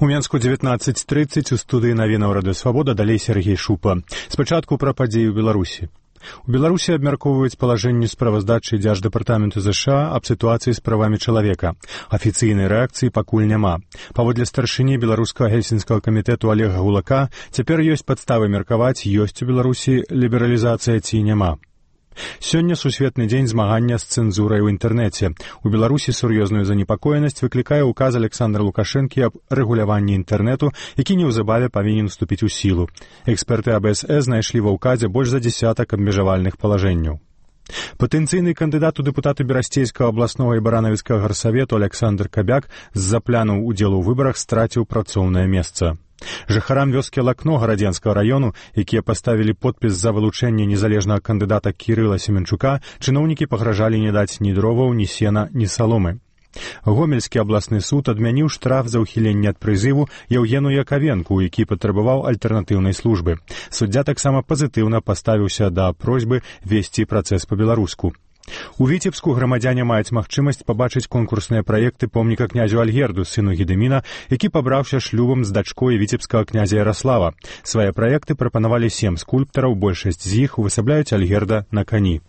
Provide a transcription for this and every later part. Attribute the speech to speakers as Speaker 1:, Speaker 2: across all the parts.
Speaker 1: У Менску 19:30 у студыі навінаў Радыё Свабода, далей Сергей Шупа. Спачатку пра падзеі ў Беларусі. У Беларусі абмяркоўваюць палажэнне справаздачы Дзярждэпартаменту ЗША аб сітуацыі з правамі чалавека. Афіцыйнай рэакцыі пакуль няма. Паводле старшыні беларускага гельсінскага камітэту Олега Гулака, цяпер ёсць падставы меркаваць, ёсць у Беларусі лібералізацыя ці няма. Сёння сусветны дзень змагання з цэнзурай у інтэрнэце. У Беларусі сур'ёзную занепакоенасць выклікае ўказ Александра Лукашэнкі аб рэгуляванні інтэрнэту, які неўзабаве павінен уступіць у сілу. Эксперты АБС знайшлі ва ўказе больш за дзесятак абмежавальных палажэнняў. Патэнцыйны кандыдат у дэпутаты Берасцейскага абласнога і баранавіцкага гарсавету Александр Кабяк з-за планаў удзелу ў выбарах страціў працоўнае месца. Жыхарам вёскі Лакно гарадзенскага раёну, якія паставілі подпіс за вылучэнне незалежнага кандыдата Кірыла Семенчука, чыноўнікі пагражалі не даць ні дроваў, ні сена, ні саломы. Гомельскі абласны суд адмяніў штраф за ўхіленне ад прызыву Яўгену Якавенку, які патрабаваў альтэрнатыўнай службы. Суддзя таксама пазітыўна паставіўся да просьбы весці працэс па-беларуску. У Віцебску грамадзяне маюць магчымасць пабачыць конкурсныя праекты помніка князю Альгерду, сыну Гедыміна, які пабраўся шлюбам з дачкой віцебскага князя Яраслава. Свае праекты прапанавалі 7 скульптараў, большасць з іх увасабляюць Альгерда на кані.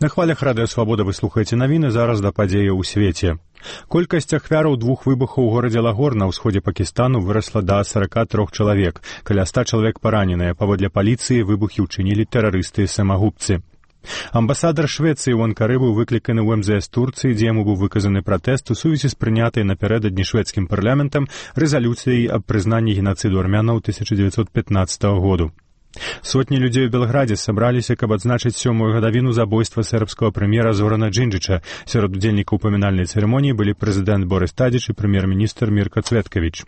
Speaker 1: На хвалях Радыё Свабода вы слухаеце навіны, зараз да падзеяў у свеце. Колькасць ахвяраў 2 выбухаў у горадзе Лагор на ўсходзе Пакістану вырасла да 43 чалавек. Каля 100 чалавек параненыя. Паводле паліцыі выбухі ўчынілі тэрарысты-самагубцы. Амбасадар Швецыі ў Анкары быў выкліканы ў МЗС Турцыі, дзе яму быў выказаны пратэст у сувязі з прынятай напярэдадні шведскім парламентам рэзалюцыяй аб прызнанні генацыду армянаў 1915 году. Сотні людзей у Белградзе сабраліся, каб адзначыць 7-ю гадавіну забойства сербскага прэм'ера Зорана Джинджича. Сярод удзельнікаў памінальнай цырымоніі былі прэзідэнт Борис Тадзіч і прэм'ер-міністр Мірка Цветкавіч.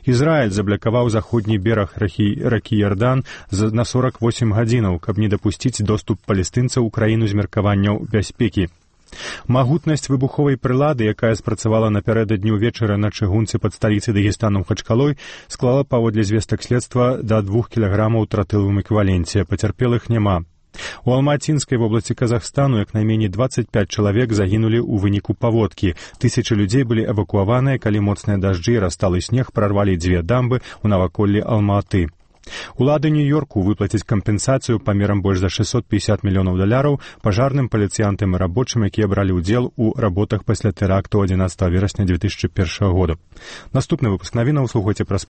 Speaker 1: Ізраіль заблакаваў заходні бераг ракі Ярдан на 48 гадзінаў, каб не дапусціць доступ палестынцаў у краіну з меркаванняў бяспекі. Магутнасць выбуховай прылады, якая спрацавала напярэдадні ўвечары на чыгунцы пад сталіцай Дагестану Махачкалой, склала паводле звестак следства да 2 кілаграмаў тротылавым эквіваленце. Пацярпелых няма. У Алматинскай вобласці Казахстану як найменей 25 чалавек загінулі ў выніку паводкі. Тысячы людзей былі эвакуаваныя, калі моцныя дажджы і расталы снег прарвалі 2 дамбы ў наваколлі Алма-Аты. Улады Нью-Йорку выплацяць кампенсацыю памерам больш за $650 мільёнаў пажарным, паліцыянтам і рабочым, якія бралі ўдзел у работах пасля тэракту 11 верасня 2001 года. Наступны выпуск навінаў слухайце праз